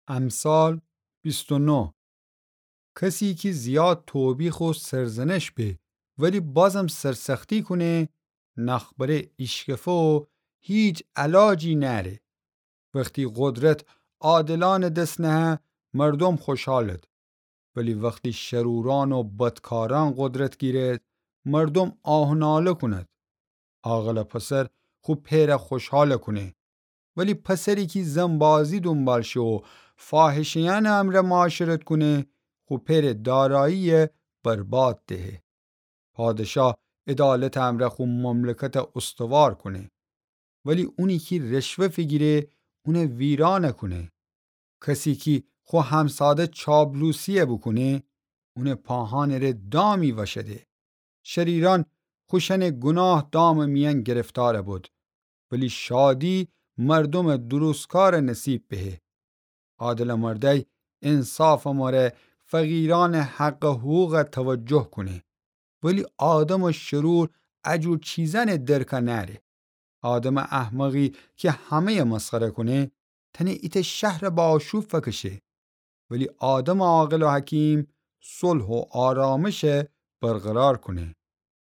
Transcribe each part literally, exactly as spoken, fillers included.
امثال بیست و نه. کسی کی زیاد توبیخ و سرزنش به، ولی بازم سرسختی کونه، نخبره ایشکفه و هیچ علاجی نأره. وختی قدرت عادلأنٚ دس نهه، مردوم خوشحالد. ولی وختی شرورأن و بدکارأن قدرت گیرد، مردوم آه و ناله کند. عاقلٚ پسر خو پئر خوشحال کونه. ولی پسری کی زنبازی دونبال شه و فاحشه‌یأنٚ امرأ معاشرت کونه، خو پئرٚ دارایی برباد دهه. پادشاه عدالتٚ امرأ خو مملکت استوار کونه. ولی اونی کی رشوه فیگیره، اونه ویران کونه. کسی کی خو همساده چابلوسی بوکونه، اونٚ پاهانٚ ره دامی وشده. شریرأن خوشأنٚ گوناه دامٚ میأن گرفتار بود، ولی شادی مردومٚ درستکارٚ نصیب بهه. عادلٚ مردأی انصافٚ مره فقیرأنٚ حق و حقوق توجه کونه، ولی آدمٚ شرور اجور چیزأنٚ درک نأره. آدمٚ احمقی کی همه‌ی مسخره کونه، تأنه ایتأ شهر به آشوب فکشه. ولی آدمٚ عاقل و حکیم صلح و آرامش برقرار کونه.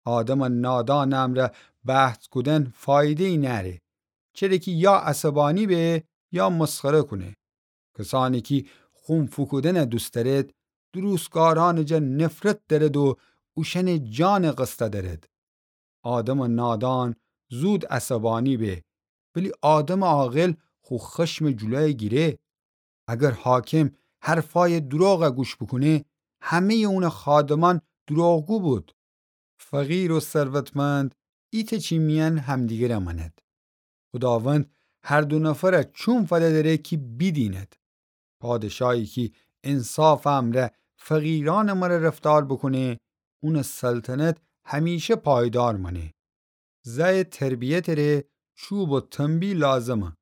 آدمٚ نادانٚ امرأ بحث کودن فایده‌یی نأره، چره کی یا عصبانی به یا مسخره کونه. کسأنی کی خون فوکودن دوست دأرد، درستکارأنٚ جا نفرت دأرد و اوشأنٚ جانٚ قصد دأرد. آدمٚ نادان زود عصبانی به، ولی آدمٚ عاقل خو خشمٚ جلوی گیره. اگر حاکم حرفأیٚ دروغ گوش بوکونه، همه‌یٚ اونٚ خادمأن دروغگو بود. فقیر و ثروتمند ایتأ چی میأن همدیگر مأند. خوداوند هر دو نفر چوم فدأ دأره کی بیدیند. پادشاهی کی انصافٚ امرأ فقیرأنٚ مره رفتار بوکونه، اونٚ سلطنت همیشه پایدار مأنه. زأیٚ تربیتٚ ره چوب و تنبیه لازمه،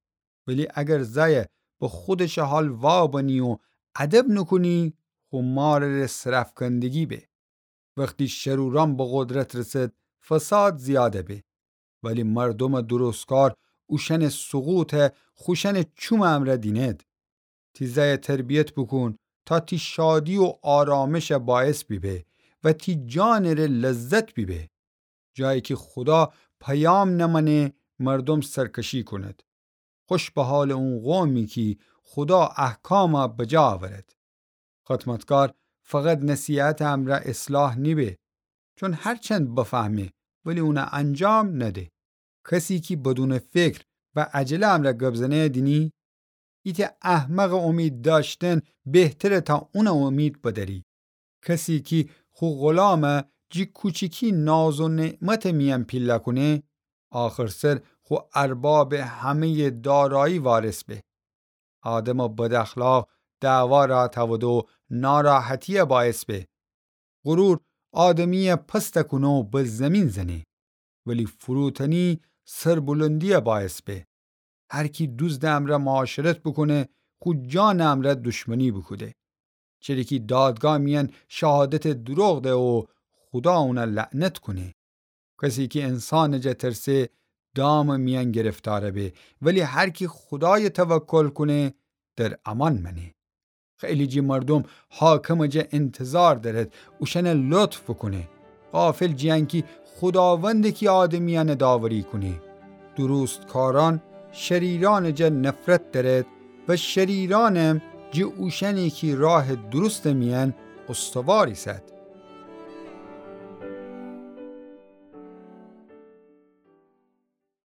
ولی اگر زأی به خودشٚ حال وابنی و ادب نوکونی، خو مارٚ ره سرأفکندگی به. وختی شرورأن به قدرت رسد، فساد زیاد به، ولی مردومٚ درستکار اوشأنٚ سقوط خوشأنٚ چومٚ امرأ دینید. تی زأی تربیت بوکون تا تی شادی و آرامش باعث بیبه و تی جانٚ ره لذت بیبه. جایی کی خودا پیام نمأنه، مردوم سرکشی کونید. خوش به حالٚ اون قومی کی خودا احکام بجا اورد. خدمتکار فقط نصیحتٚ امرأ اصلاح نیبه، چون هرچند بفهمه ولی اون انجام نده. کسی کی بدونٚ فکر و عجله امرأ گب زنه دینی، ایتأ احمقٚ امید دأشتن بهتره تا اونٚ امید بدأری. کسی کی خو غلام جی کوچیکی ناز و نعمتٚ میأن پیله کونه، آخرسر خو اربابٚ همه‌یٚ دارایی وارث به. آدمٚ بداخلاق دعوا رأ تأوده و ناراحتی باعث به. غرور آدمی پست کونه و به زیمین زنه، ولی فروتنی سربلندی باعث به. هر کی دوزدٚ امرأ معاشرت بوکونه، خو جانٚ امرأ دشمنی بوکوده. چره کی دادگاه میأن شهادتٚ دروغ ده و خودا اون لعنت کونه. کسی کی انسانٚ جا ترسه، دامٚ میأن گرفتار به، ولی هر کی خودای توکل کونه، در امان مأنه. خیلی جی مردوم حاکمٚ جا انتظار دأرد اوشأن لطف بوکونه. غافل جیأن کی خوداوند کی آدمیأن داوری کونه. درستکارأن شریرأنٚ جا نفرت دأرد و شریرأنم جی اوشأنی کی راه درستٚ میأن استوار ایسد.